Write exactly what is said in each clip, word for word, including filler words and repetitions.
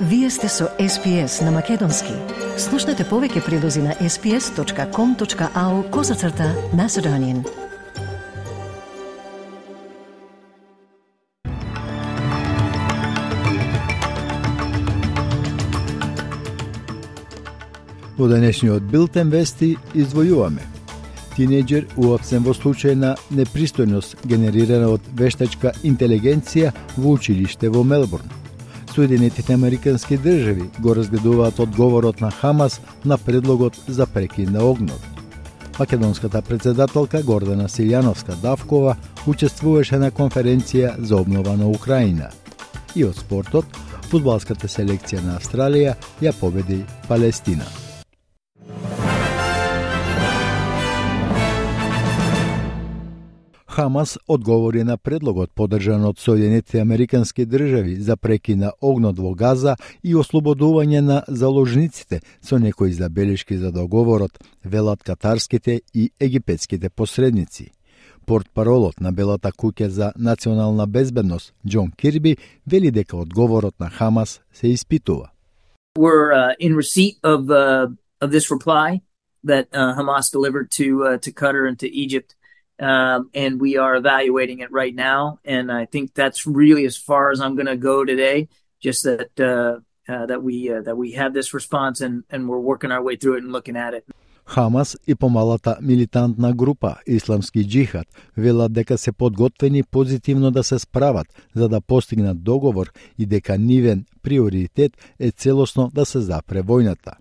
Вие сте со Ес Пи Ес на Македонски. Слушнете повеќе прилози на ес пи ес точка ком точка ау козацрта Macedonian. Во денешниот билтен вести издвојуваме. Тинејџер уапсен во случај на непристојност генерирана од вештачка интелигенција во училиште во Мелбурн. Соединетите американски држави го разгледуваат одговорот на Хамас на предлогот за прекин на огнот. Македонската председателка Гордана Силјановска-Давкова учествуваше на конференција за обнова на Украина. И од спортот, фудбалската селекција на Австралија ја победи Палестина. Хамас одговори на предлогот поддржан од Соединетите американски држави за прекин на огнот во Газа и ослободување на заложниците со некои забелешки за договорот, велат катарските и египетските посредници. Портпаролот на Белата куќа за национална безбедност Џон Кирби вели дека одговорот на Хамас се испитува. We're uh, in receipt of uh, of this reply that uh, Hamas delivered to uh, to Qatar and to Egypt. Um, and we are evaluating it right now, and I think that's really as far as I'm going to go today. Just that uh, uh, that we uh, that we have this response, and and we're working our way through it and looking at it. Хамас и помалата милитантна група Исламски џихад велат дека се подготвени позитивно да се справат за да постигнат договор и дека нивен приоритет е целосно да се запре војната.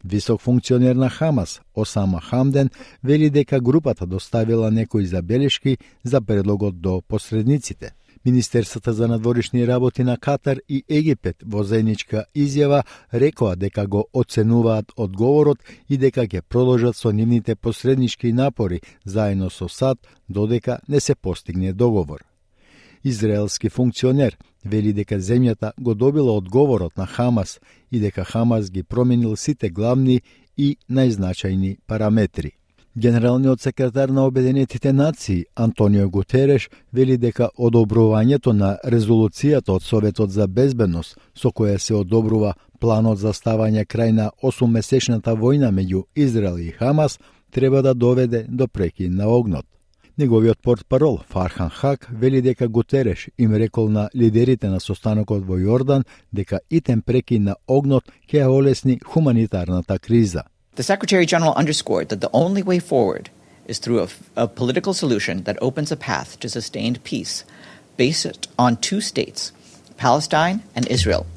Висок функционер на Хамас, Осама Хамден, вели дека групата доставила некои забелешки за предлогот до посредниците. Министерството за надворешни работи на Катар и Египет во заедничка изјава рекоа дека го оценуваат одговорот и дека ќе продолжат со нивните посреднички напори заедно со САД додека не се постигне договор. Израелски функционер вели дека земјата го добила одговорот на Хамас и дека Хамас ги променил сите главни и најзначајни параметри. Генералниот секретар на Обединетите нации Антонио Гутереш вели дека одобрувањето на резолуцијата од Советот за безбедност со која се одобрува планот за ставање крај на осуммесечната војна меѓу Израел и Хамас треба да доведе до прекин на огнот. Неговиот портпарол Фархан Хак вели дека Гутереш им рекол на лидерите на состанокот во Јордан дека итен прекин на огнот ќе ја олесни хуманитарната криза. The Secretary General underscored that the only way forward is through a, a political solution that opens a path to sustained peace based on two states, Palestine and Israel,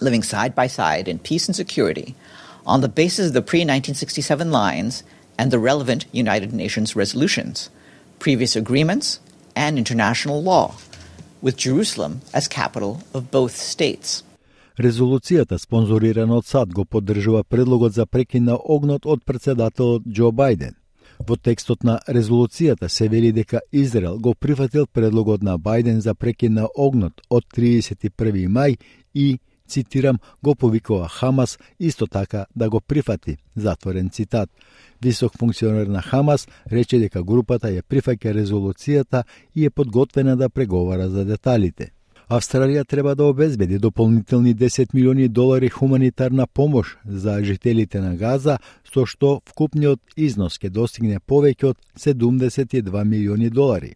living side by side in peace and security on the basis of the pre nineteen sixty-seven lines and the relevant United Nations resolutions, previous agreements, and international law, with Jerusalem as capital of both states. Резолуцијата, спонзорирана од САД, го поддржува предлогот за прекин на огнот од председателот Џо Бајден. Во текстот на резолуцијата се вели дека Израел го прифатил предлогот на Бајден за прекин на огнот од триесет и први мај и, цитирам, го повикува Хамас исто така да го прифати, затворен цитат. Висок функционер на Хамас рече дека групата ја прифаќа резолуцијата и е подготвена да преговара за деталите. Австралија треба да обезбеди дополнителни десет милиони долари хуманитарна помош за жителите на Газа, со што вкупниот износ ќе достигне повеќе од седумдесет и два милиони долари.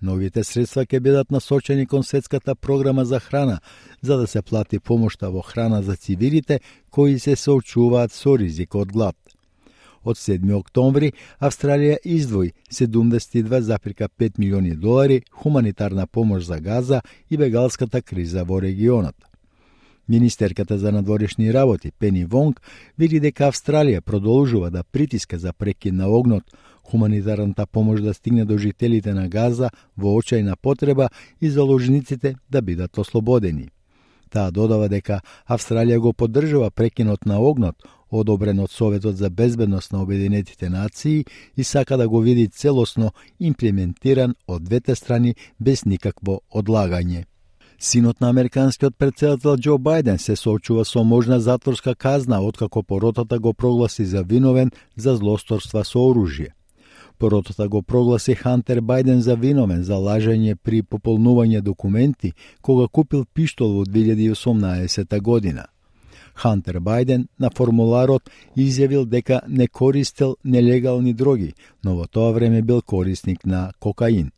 Новите средства ќе бидат насочени кон светската програма за храна, за да се плати помошта во храна за цивилите кои се соочуваат со ризик од глад. Од седми октомври Австралија издвои седумдесет и два зарез пет милиони долари хуманитарна помош за Газа и бегалската криза во регионот. Министерката за надворешни работи Пени Вонг вели дека Австралија продолжува да притиска за прекин на огнот, хуманитарната помош да стигне до жителите на Газа во очајна потреба и заложниците да бидат ослободени. Таа додава дека Австралија го поддржува прекинот на огнот, одобрен од Советот за безбедност на Обединетите нации и сака да го види целосно имплементиран од двете страни без никакво одлагање. Синот на американскиот претседател Џо Бајден се соочува со можна затворска казна откако поротата го прогласи за виновен за злосторства со оружје. Поротата го прогласи Хантер Бајден за виновен за лажење при пополнување документи кога купил пиштол во две илјади и осумнаесета година. Хантер Бајден на формуларот изјавил дека не користел нелегални дроги, но во тоа време бил корисник на кокаин.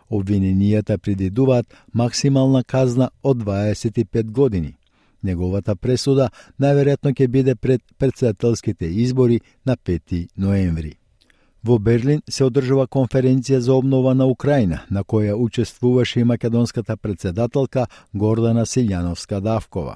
Обвиненијата предвидуваат максимална казна од дваесет и пет години. Неговата пресуда најверојатно ќе биде пред претседателските избори на пети ноември. Во Берлин се одржува конференција за обнова на Украина, на која учествуваше и македонската претседателка Гордана Силјановска-Давкова.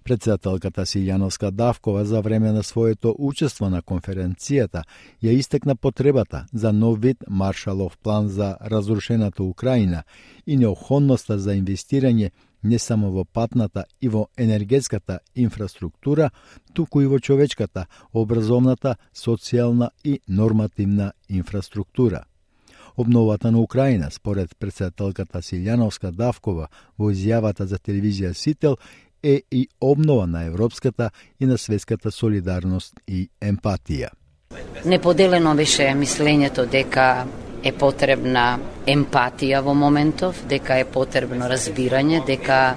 Претседателката Силјановска-Давкова за време на своето учество на конференцијата ја истекна потребата за нов вид Маршалов план за разрушената Украина и необходноста за инвестирање не само во патната и во енергетската инфраструктура, туку и во човечката, образовната, социјална и нормативна инфраструктура. Обновата на Украина, според претседателката Силјановска-Давкова во изјавата за телевизија Сител, е и обнова на европската и на светската солидарност и емпатија. Неподелено беше мислењето дека е потребна емпатија во моментов, дека е потребно разбирање, дека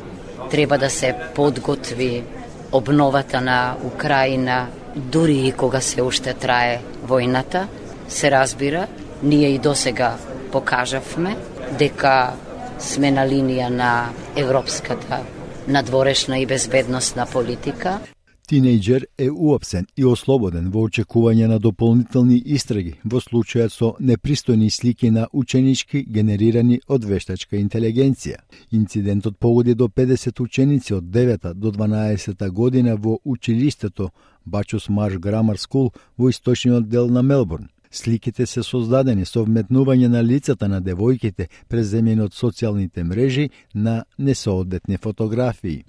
треба да се подготви обновата на Украина, дури и кога се уште трае војната. Се разбира, ние и досега покажавме дека сме на линија на европската надворешна и безбедносна политика. Тинејџер е уапсен и ослободен во очекување на дополнителни истраги во случајот со непристојни слики на ученички генерирани од вештачка интелигенција. Инцидентот погоди до педесет ученици од девета до дванаесета година во училиштето Бачус Марш Грамар Скул во источниот дел на Мелбурн. Сликите се создадени со вметнување на лицата на девојките преземени од социјалните мрежи на несоодветни фотографии.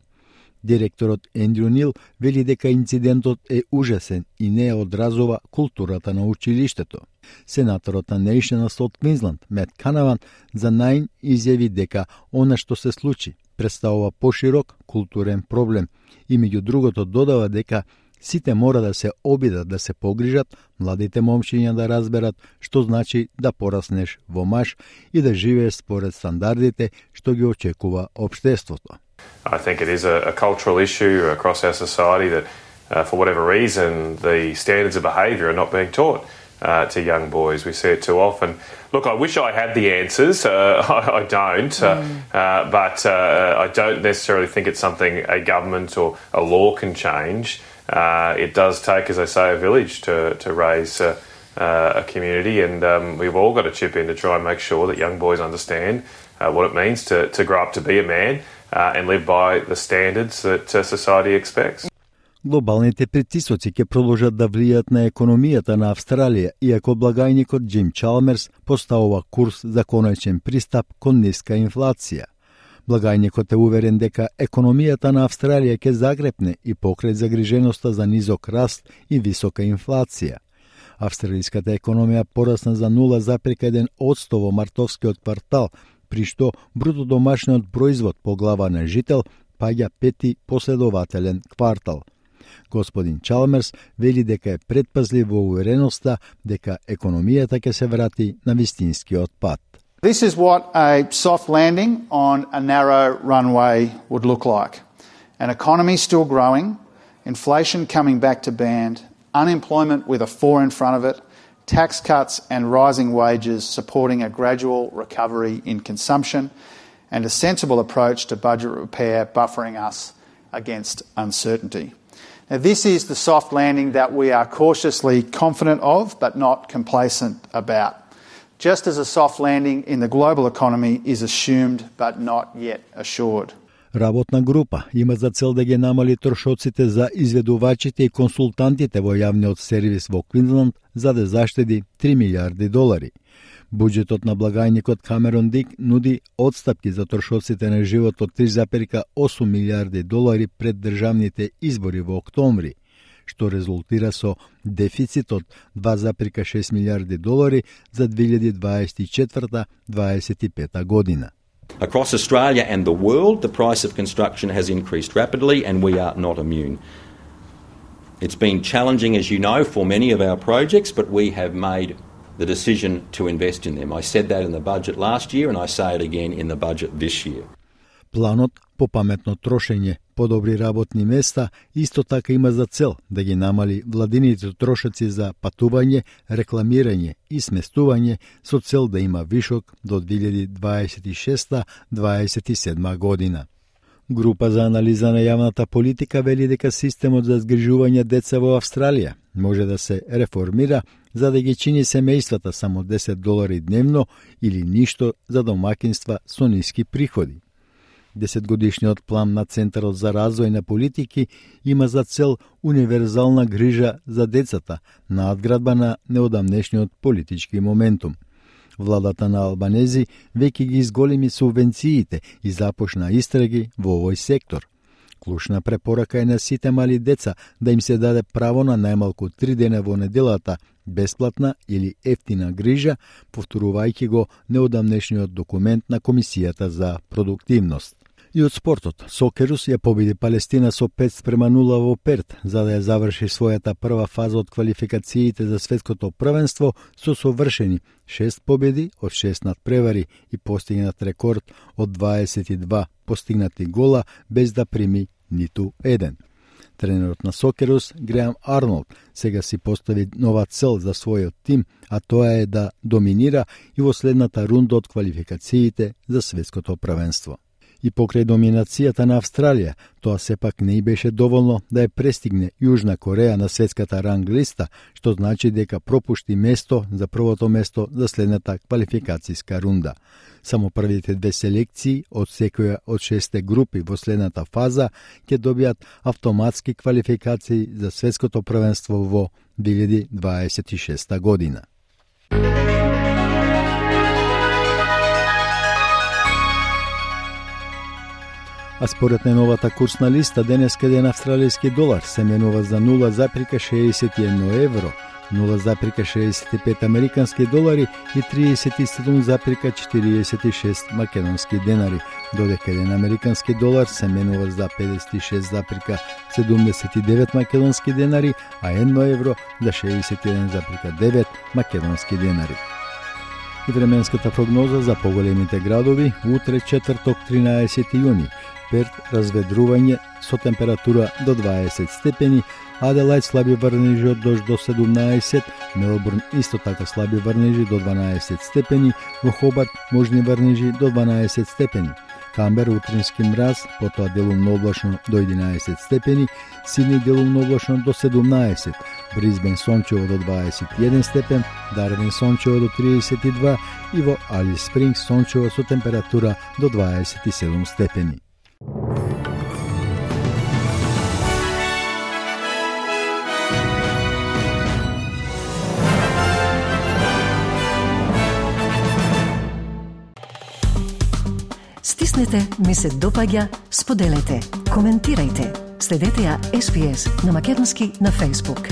Директорот Ендрю Нил вели дека инцидентот е ужасен и не одразува културата на училиштето. Сенаторот на National South Queensland Мет Канаван за Наин изјави дека она што се случи представува поширок културен проблем и меѓу другото додава дека сите мора да се обидат да се погрижат, младите момчиња да разберат што значи да пораснеш во маж и да живееш според стандардите што ги очекува општеството. I think it is a, a cultural issue across our society that, uh, for whatever reason, the standards of behaviour are not being taught uh, to young boys. We see it too often. Look, I wish I had the answers. Uh, I, I don't, uh, mm. uh, but uh, I don't necessarily think it's something a government or a law can change. Uh, it does take, as I say, a village to to raise uh, uh, a community, and um, we've all got to chip in to try and make sure that young boys understand uh, what it means to to grow up to be a man. Uh, and live by the standards that uh, society expects. Глобалните притисоци ќе продолжат да влијат на економијата на Австралија, иако благајникот Джим Чалмерс поставува курс за конечен пристап кон ниска инфлација. Благајникот е уверен дека економијата на Австралија ќе загрепне и покрај загриженоста за низок раст и висока инфлација. Австралиската економија порасна за нула зарез еден одсто во мартовскиот квартал, при што бруто домашниот производ по глава на жител паѓа пети последователен квартал. Господин Чалмерс вели дека е предпазлив во увереноста дека економијата ќе се врати на вистинскиот пат. This is what a soft landing on a narrow runway would look like. An economy still growing, inflation coming back to band, unemployment with a four in front of it, tax cuts and rising wages supporting a gradual recovery in consumption, and a sensible approach to budget repair buffering us against uncertainty. Now, this is the soft landing that we are cautiously confident of, but not complacent about. Just as a soft landing in the global economy is assumed, but not yet assured. Работна група има за цел да ги намали трошоците за изведувачите и консултантите во јавниот сервис во Квинсленд за да заштеди три милиарди долари. Буџетот на благајникот Камерон Дик нуди одстапки за трошоците на живот од три зарез осум милиарди долари пред државните избори во октомври, што резултира со дефицит од два зарез шест милиарди долари за две илјади дваесет и четврта - дваесет и пета година. Across Australia and the world, the price of construction has increased rapidly and we are not immune. It's been challenging, as you know, for many of our projects, but we have made the decision to invest in them. I said that in the budget last year and I say it again in the budget this year. Планот по паметно трошење, подобри работни места, исто така има за цел да ги намали владините трошоци за патување, рекламирање и сместување со цел да има вишок до две илјади дваесет и шеста до дваесет и седма година. Група за анализа на јавната политика вели дека системот за згрижување деца во Австралија може да се реформира за да ги чини семејствата само десет долари дневно или ништо за домакинства со ниски приходи. Десетгодишниот план на Центарот за развој на политики има за цел универзална грижа за децата, надградба на неодамнешниот политички моментум. Владата на Албанези веќе ги изголеми субвенциите и започна истраги во овој сектор. Клучна препорака е на сите мали деца да им се даде право на најмалку три дена во неделата бесплатна или ефтина грижа, повторувајќи го неодамнешниот документ на Комисијата за продуктивност. И од спортот, Сокерус ја победи Палестина со пет спрема нула во Перт, за да ја заврши својата прва фаза од квалификациите за светското првенство со совршени шест победи од шест надпревари и постигнат рекорд од дваесет и два постигнати гола без да прими ниту еден. Тренерот на Сокерус, Греам Арнолд, сега си постави нова цел за својот тим, а тоа е да доминира и во следната рунда од квалификациите за светското првенство. И покрај доминацијата на Австралија, тоа сепак не и беше доволно да ја престигне Јужна Кореја на светската ранг листа, што значи дека пропушти место за првото место за следната квалификацијска рунда. Само првите две селекции од секоја од шесте групи во следната фаза ќе добијат автоматски квалификации за светското првенство во две илјади дваесет и шеста година. А според најновата курсна листа, денеска еден австралијски долар се менува за нула запирка шеесет и едно евро, нула запирка шеесет и пет американски долари и триесет и седум запирка четириесет и шест македонски денари, додека еден американски долар се менува за педесет и шест запирка седумдесет и девет македонски денари, а едно евро за шеесет и еден запирка девет македонски денари. И временската прогноза за поголемите градови утре четврток тринаесети јуни. Перт разведрување со температура до дваесет степени, Аделајд слаби врнежи од дожд до седумнаесет, Мелбурн исто така слаби врнежи до дванаесет степени, во Хобарт можни врнежи до дванаесет степени, Камбер утрински мраз, потоа делумно облачно до единаесет степени, Сидни делумно облачно до седумнаесет, Бризбен сончево до дваесет и еден степен, Дарвин сончево до триесет и два и во Алис Спрингс сончево со температура до дваесет и седум степени. Стиснете, ми се допаѓа, споделете, коментирајте. Следете ја Ес Би Ес на македонски на Facebook.